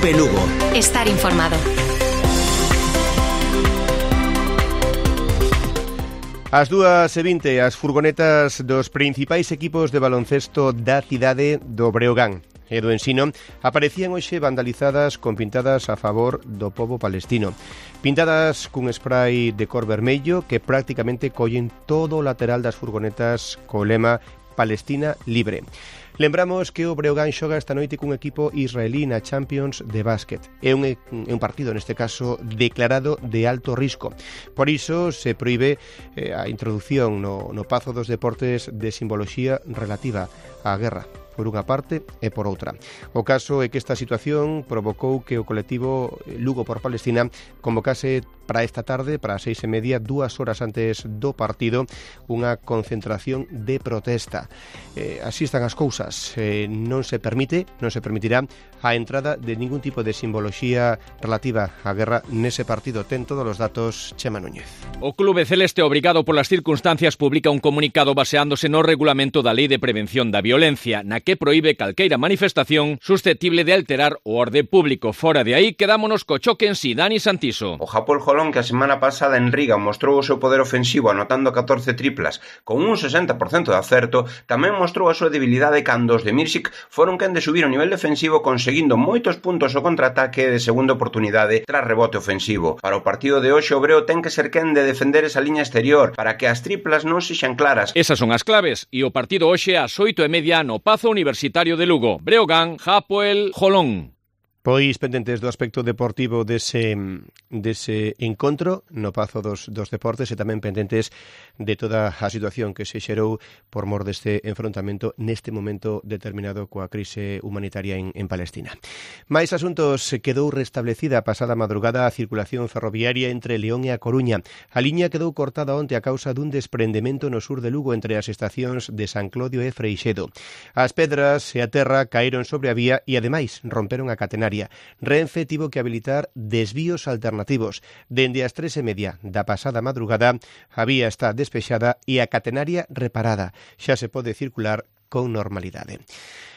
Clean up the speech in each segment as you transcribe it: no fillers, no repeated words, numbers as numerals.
Cope Lugo. Estar informado. Ás 2:20, as furgonetas dos principais equipos de baloncesto da cidade do Breogán e do Ensino aparecían hoxe vandalizadas con pintadas a favor do pobo palestino. Pintadas cun spray de cor vermello que prácticamente collen todo o lateral das furgonetas co lema Palestina libre. Lembramos que o Breogán xoga esta noite cun equipo israelí na Champions de básquet. É un partido, neste caso, declarado de alto risco. Por iso se proíbe a introducción no Pazo dos Deportes de simboloxía relativa á guerra, por unha parte e por outra. O caso é que esta situación provocou que o colectivo Lugo por Palestina convocase para esta tarde, para as 6:30, 2 horas antes do partido, unha concentración de protesta. Así están as cousas. Non se permitirá a entrada de ningún tipo de simboloxía relativa á guerra nese partido. Ten todos os datos Chema Núñez. O Clube Celeste, obrigado polas circunstancias, publica un comunicado baseándose no regulamento da Lei de Prevención da Violencia, na que proíbe calqueira manifestación susceptible de alterar o orde público. Fora de aí, quedámonos co choque en si. Dani Santiso. O Japón Jolón, que a semana pasada en Riga mostrou o seu poder ofensivo anotando 14 triplas con un 60% de acerto, tamén mostrou a súa debilidade cando os de Mirsic foron quen de subir o nivel defensivo conseguindo moitos puntos o contraataque de segunda oportunidade tras rebote ofensivo. Para o partido de hoxe, o Breo ten que ser quen de defender esa liña exterior para que as triplas non sexan claras. Esas son as claves e o partido hoxe ás 8:30 no Pazo Universitario de Lugo. Breogán, Hapoel, Jolón. Pois pendentes do aspecto deportivo dese encontro no Pazo dos Deportes e tamén pendentes de toda a situación que se xerou por mor deste enfrontamento neste momento determinado coa crise humanitaria en Palestina. Mais asuntos, quedou restablecida a pasada madrugada a circulación ferroviaria entre León e a Coruña. A liña quedou cortada onte a causa dun desprendemento no sur de Lugo entre as estacións de San Clodio e Freixedo. As pedras e a terra caeron sobre a vía e ademais romperon a catenaria. Renfe tivo que habilitar desvíos alternativos. Dende as 3:30 da pasada madrugada, a vía está despexada e a catenaria reparada. Xa se pode circular con normalidade.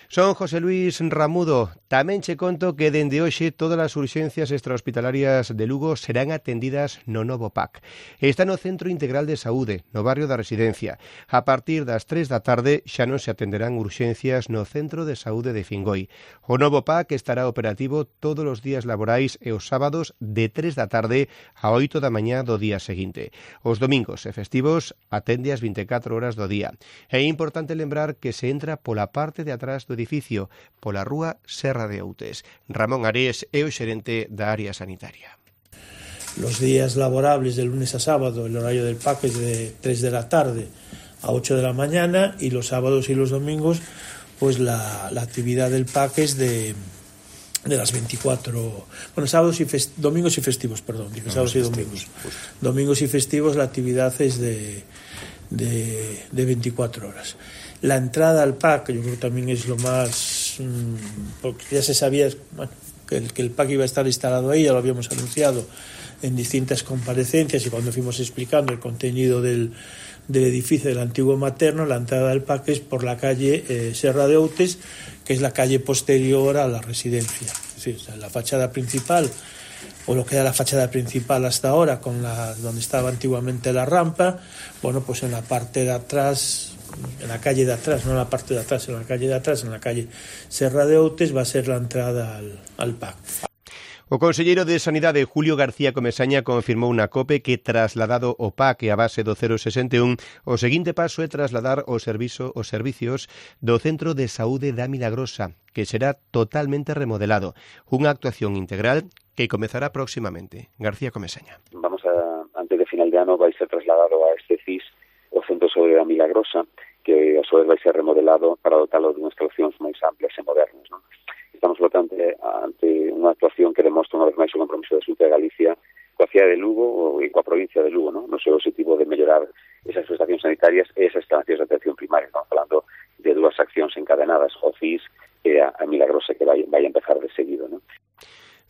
Son José Luis Ramudo. Tamén che conto que dende hoxe todas as urxencias extrahospitalarias de Lugo serán atendidas no novo PAC. Está no Centro Integral de Saúde, no barrio da Residencia. A partir das 3 da tarde xa non se atenderán urxencias no Centro de Saúde de Fingoi. O novo PAC estará operativo todos os días laborais e os sábados de 3 da tarde a 8 da mañá do día seguinte. Os domingos e festivos atende as 24 horas do día. É importante lembrar que se entra pola parte de atrás do edificio, pola rúa Serra de Outes. Ramón Arés é o xerente da área sanitaria. Los días laborables de lunes a sábado, el horario del PAC es de 3 de la tarde a 8 de la mañana y los sábados y los domingos pues la actividad del PAC es de las 24, bueno, domingos y festivos, perdón, sábados y domingos. Domingos y festivos la actividad es de 24 horas. La entrada al PAC, yo creo que también es lo más, porque ya se sabía, bueno, que el PAC iba a estar instalado ahí, ya lo habíamos anunciado en distintas comparecencias y cuando fuimos explicando el contenido del edificio del antiguo materno. La entrada al PAC es por la calle Serra de Outes, que es la calle posterior a la residencia. Es decir, o sea, la fachada principal, o lo que era la fachada principal hasta ahora, donde estaba antiguamente la rampa, bueno, pues en la parte de atrás, en la calle de atrás, no en la parte de atrás, en la calle de atrás, en la calle Serra de Outes, va a ser la entrada al PAC. O conselleiro de Sanidade, Julio García Comesaña, confirmou na COPE que trasladado o PAC e a base do 061, o seguinte paso é trasladar os servicios do Centro de Saúde da Milagrosa, que será totalmente remodelado. Unha actuación integral que comezará próximamente. García Comesaña. Antes de final de ano vai ser trasladado a este CIS o Centro de Saúde da Milagrosa, que a súa vez vai ser remodelado para dotalo de unhas instalacións máis amplias e modernas, non? Estamos, por tanto, ante unha actuación que demostra unha vez máis o compromiso da Xunta de Galicia coa cidade de Lugo e coa provincia de Lugo, non? No seu objetivo de mellorar esas prestacións sanitarias e esas instalacións de atención primaria. Estamos falando de dúas accións encadenadas, o CIS e a Milagrosa, que vai empezar de seguido, non?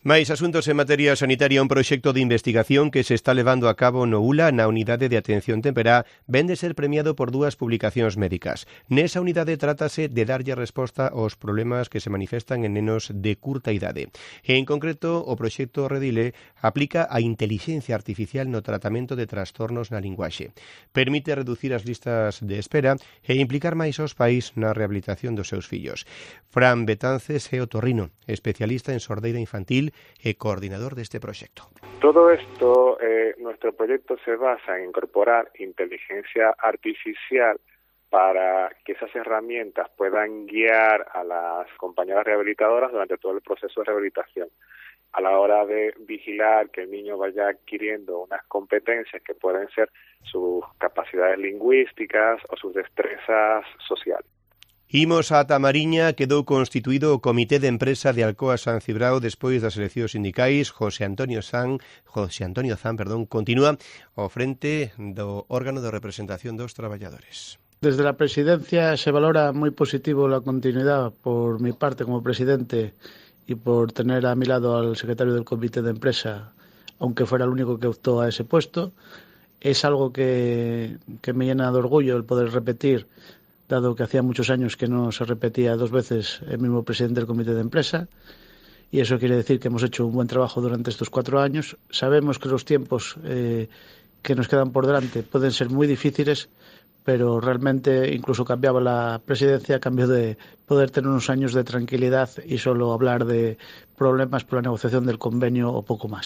Máis asuntos en materia sanitaria. Un proxecto de investigación que se está levando a cabo no ULA, na Unidade de Atención Temperá, ven de ser premiado por 2 publicacións médicas. Nesa unidade trátase de darlle resposta aos problemas que se manifestan en nenos de curta idade. E, en concreto, o proxecto Redile aplica a intelixencia artificial no tratamento de trastornos na linguaxe. Permite reducir as listas de espera e implicar máis aos pais na rehabilitación dos seus fillos. Fran Betances é otorrino, especialista en sordeira infantil e coordinador deste proxecto. Todo esto, nuestro proyecto se basa en incorporar inteligencia artificial para que esas herramientas puedan guiar a las compañeras rehabilitadoras durante todo el proceso de rehabilitación. A la hora de vigilar que el niño vaya adquiriendo unas competencias que pueden ser sus capacidades lingüísticas o sus destrezas sociales. Imos a Tamariña. Quedou constituído o Comité de Empresa de Alcoa San Cibrao despois das eleccións sindicais. José Antonio Zan, continúa ao frente do órgano de representación dos traballadores. Desde la presidencia se valora muy positivo la continuidad por mi parte como presidente y por tener a mi lado al secretario del Comité de Empresa, aunque fuera el único que optó a ese puesto. Es algo que me llena de orgullo el poder repetir, dado que hacía muchos años que no se repetía 2 veces el mismo presidente del Comité de Empresa, y eso quiere decir que hemos hecho un buen trabajo durante estos 4 años. Sabemos que los tiempos que nos quedan por delante pueden ser muy difíciles, pero realmente incluso cambiaba la presidencia a cambio de poder tener unos años de tranquilidad y solo hablar de problemas por la negociación del convenio o poco más.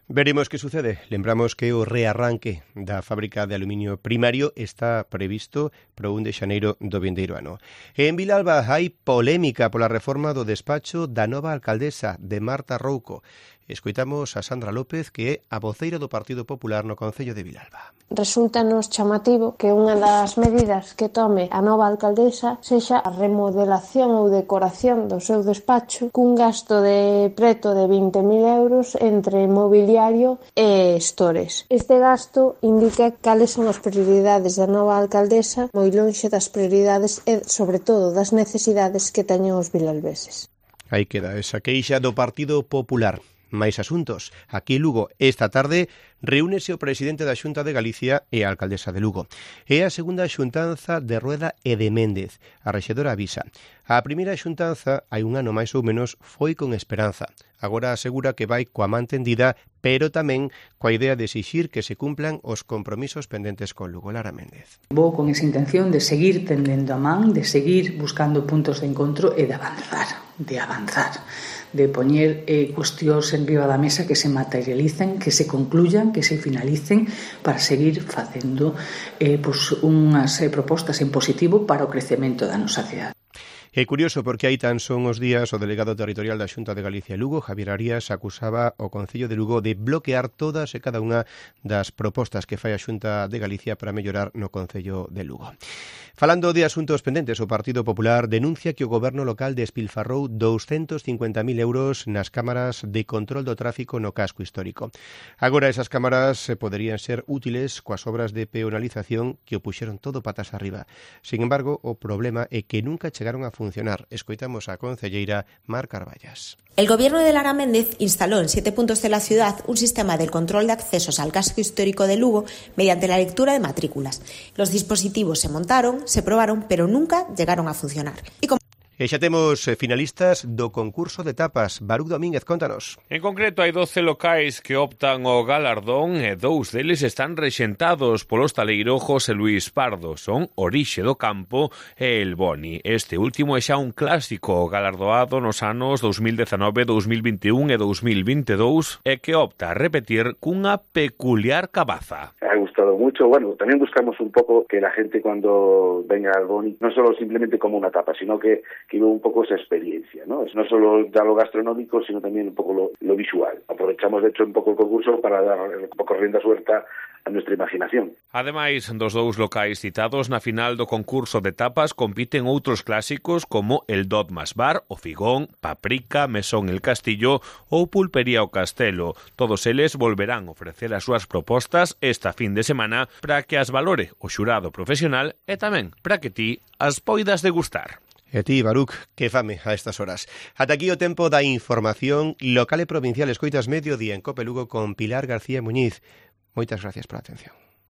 Veremos que sucede. Lembramos que o rearranque da fábrica de aluminio primario está previsto para o 1 de xaneiro do vindeiro ano. En Vilalba hai polémica pola reforma do despacho da nova alcaldesa de Marta Rouco. Escoitamos a Sandra López, que é a voceira do Partido Popular no Concello de Vilalba. Resulta-nos chamativo que unha das medidas que tome a nova alcaldesa sexa a remodelación ou decoración do seu despacho cun gasto de preto de 20.000 euros entre mobiliario e estores. Este gasto indica cales son as prioridades da nova alcaldesa, moi lonxe das prioridades e, sobre todo, das necesidades que teñen os vilalbeses. Aí queda esa queixa do Partido Popular. Máis asuntos. Aquí en Lugo, esta tarde, reúnese o presidente da Xunta de Galicia e a alcaldesa de Lugo. É a segunda xuntanza de Rueda e de Méndez. A rexedora avisa. A primeira xuntanza, hai un ano máis ou menos, foi con esperanza. Agora asegura que vai coa man tendida, pero tamén coa idea de exixir que se cumplan os compromisos pendentes con Lugo. Lara Méndez. Vou con esa intención de seguir tendendo a man, de seguir buscando puntos de encontro e de avanzar, de poñer cuestións en riba da mesa que se materialicen, que se concluyan, que se finalicen para seguir facendo unhas propostas en positivo para o crecemento da nosa cidade. É curioso porque hai tan son os días o delegado territorial da Xunta de Galicia Lugo, Javier Arias, acusaba o Concello de Lugo de bloquear todas e cada unha das propostas que fai a Xunta de Galicia para mellorar no Concello de Lugo. Falando de asuntos pendentes, o Partido Popular denuncia que o goberno local despilfarrou 250.000 euros nas cámaras de control do tráfico no casco histórico. Agora esas cámaras poderían ser útiles coas obras de peonalización que o puxeron todo patas arriba. Sin embargo, o problema é que nunca chegaron a funcionar. Escoitamos a concelleira Mar Carballas. El gobierno de Lara Méndez instaló en 7 puntos de la ciudad un sistema de control de accesos al casco histórico de Lugo mediante la lectura de matrículas. Los dispositivos se montaron, se probaron, pero nunca llegaron a funcionar. E xa temos finalistas do concurso de tapas. Baruch Domínguez, contanos. En concreto, hai 12 locais que optan ao galardón e 2 deles están rexentados polo hostaleiro José Luis Pardo. Son Orixe do Campo e El Boni. Este último é xa un clásico galardoado nos anos 2019, 2021 e 2022 e que opta a repetir cunha peculiar cabaza. Ha gustado mucho. Bueno, también buscamos un poco que la gente cuando venga al Boni, no solo simplemente como una tapa, sino que vive un poco esa experiencia, ¿no? No solo ya lo gastronómico, sino también un poco lo visual. Aprovechamos, de hecho, un poco el concurso para dar un poco rienda suelta a nuestra imaginación. Ademais dos 2 locais citados na final do concurso de tapas compiten outros clásicos como el Dotmas Bar, o Figón, Paprika, Mesón el Castillo ou Pulpería o Castelo. Todos eles volverán ofrecer as súas propostas esta fin de semana para que as valore o xurado profesional e tamén para que ti as poidas degustar. E a ti, Baruch, que fame a estas horas. Ata aquí o tempo da información local e provincial. Escoitas Mediodía en Cope Lugo con Pilar García Muñiz. Moitas gracias pola atención.